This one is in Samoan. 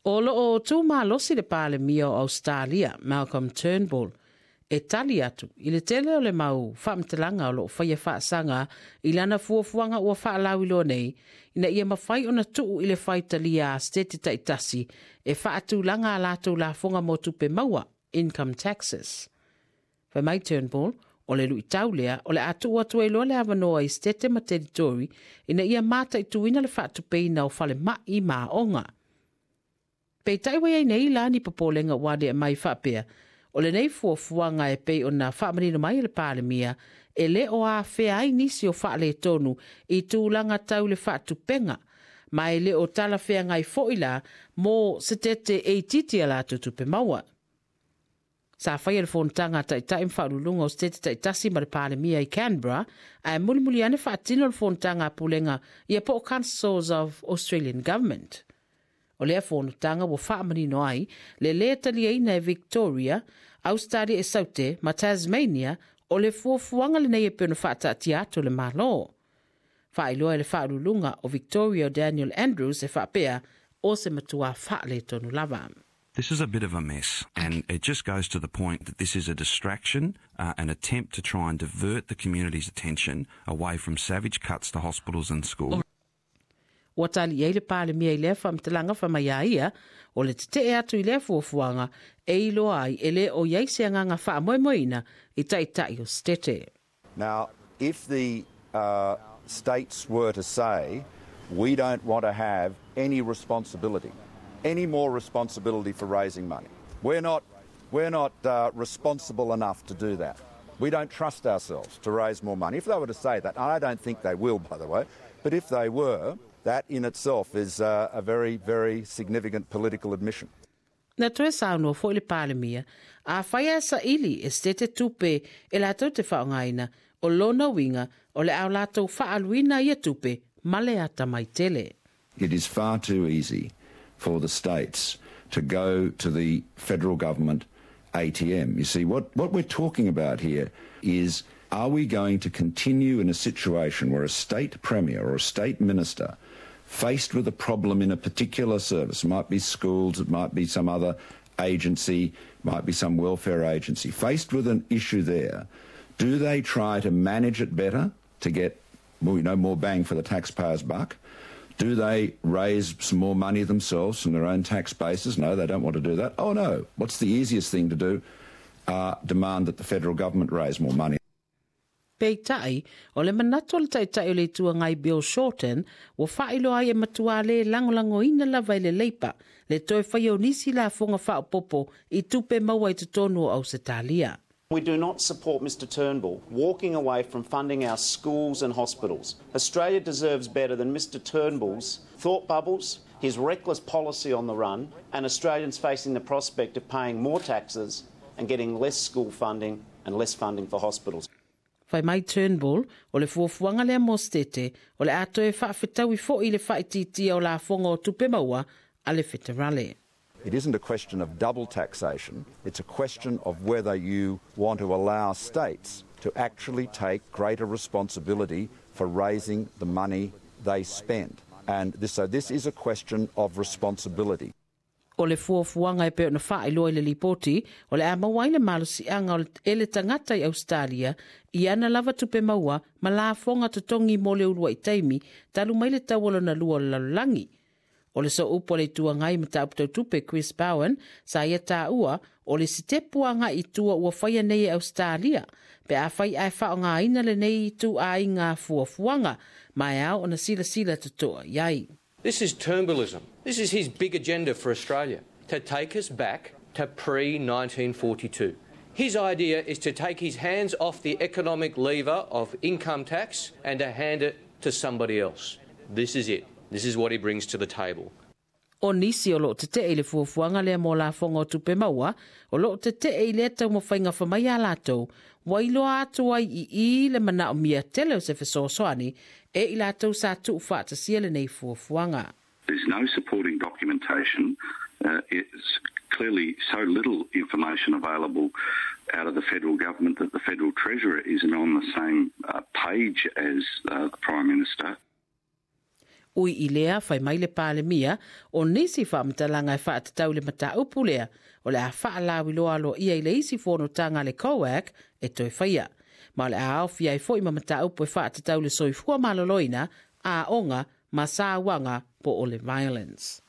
O loo tu malosi le Palemia o Australia, Malcolm Turnbull, e tali atu i le tele o le mau faamatalaga o loo faia faasaga i lana fuafuaga ua faalauiloa nei ina ia mafai ona tuu i le faitalia a setete taitasi e faatulaga a latou lafoga mo tupe maua, income taxes. Fai mai Turnbull, o le luitau lea o le a tuu atu ai loa le avanoa i setete ma teritori ina ia mataituina le faatupeina o falemai ma aoga. Peitai ua iai nei la ni popolega ua aliae mai faapea, o lenei fuafuaga e pei ona faamanino mai e le Palemia, e le o afea ai nisi o faaletonu i tulaga tau le faatupega, ma e le o talafeagai foi la mo setete e itiiti a latou tupe maua. Sa faia le fonotaga a Taitai ma Faauluuluga o Setete taitasi ma le Palemia i Canberra, ae mulimuli ane faatino le fonotaga a Pulega ia po o Councils of Australian Government. O lea fonotaga ua faamanino ai le lē taliaina e Victoria, Ausetalia e Saute ma Tasmania o le fuafuaga lenei e pei ona faataatia atu e le Malo. Faailoa e le Faauluuluga o Victoria o Daniel Andrews e faapea, o se matua faaletonu lava. This is a bit of a mess, and it just goes to the point that this is a distraction, an attempt to try and divert the community's attention away from savage cuts to hospitals and schools. Ua tali i ai le Palemia i lea faamatalaga fai mai a ia, o le tetee atu i lea fuafuaga e iloa ai e le o i ai se agaga faamoemoeina i taitai o Setete. Now, if the states were to say, we don't want to have any responsibility, any more responsibility for raising money. We're not, we're not responsible enough to do that. We don't trust ourselves to raise more money. If they were to say that, and I don't think they will, by the way, but if they were, that in itself is a very, very significant political admission. Na toe saunoa foi le Palemia, afai ae saili e setete tupe e latou te faaaogaina, o lona uiga o le a latou faaaluina ia tupe ma le atamai tele. It is far too easy for the states to go to the federal government ATM. You see, what, what we're talking about here is are we going to continue in a situation where a state premier or a state minister faced with a problem in a particular service, it might be schools, it might be some other agency, might be some welfare agency, faced with an issue there, do they try to manage it better to get more, you know, more bang for the taxpayer's buck? Do they raise some more money themselves from their own tax bases? No, they don't want to do that. Oh, no. What's the easiest thing to do? Demand that the federal government raise more money. Peitai, o le manatu o le Taitai o le Itu Agai Bill Shorten, ua faailoa ai e matua lē lagolagoina lava e le Leipa le toe faia o nisi lafoga faaopoopo i tupe maua i totonu o Ausetalia. We do not support Mr Turnbull walking away from funding our schools and hospitals. Australia deserves better than Mr Turnbull's thought bubbles, his reckless policy on the run, and Australians facing the prospect of paying more taxes and getting less school funding and less funding for hospitals. Fai mai Turnbull, o le fuafuaga lea mo Setete, o le a toe faafetaui foi le faaitiitia o lafoga o tupe maua a le Feterale. It isn't a question of double taxation, it's a question of whether you want to allow states to actually take greater responsibility for raising the money they spend. And this, so this is a question of responsibility. O le fuafuaga e pei ona faailoa i le Lipoti, o le a maua ai le malosiaga o e le tagata i Ausetalia i ana lava tupe maua ma lafoga totogi mo le uluai taimi talu mai le tau o lona lua o le lalolagi. O le sooupu a le Itu Agai mataupu tau tupe Chris Bowen sa ia taua o le sitepu agai i tua ua faia nei e Ausetalia pe afai ae faaaogaina lenei ituaiga fuafuaga ma e ao ona silasila totoa i ai. This is Turnbullism. This is his big agenda for Australia, to take us back to pre-1942. His idea is to take his hands off the economic lever of income tax and to hand it to somebody else. This is it. This is what he brings to the table. O nisi o loo tetee i le fuafuaga lea mo lafoga o tupe maua, o loo tetee i lea taumafaiga fai mai a latou, ua iloa atu ai i i le manaomia tele o se fesoasoani e i latou sa tuufaatasia lenei fuafuaga. There's no supporting documentation. It's clearly so little information available out of the federal government that the federal treasurer isn't on the same page as the Prime Minister. Ui i lea, fai mai le Palemia, o nisi faamatalaga e faatatau i le mataupu lea, o le a faalauiloa aloaia i le isi fonotaga a le COAG e toe faia. Ma o le a aofia ai foi ma mataupu e faatatau i le soifua maloloina, aoga ma sauaga po o le violence.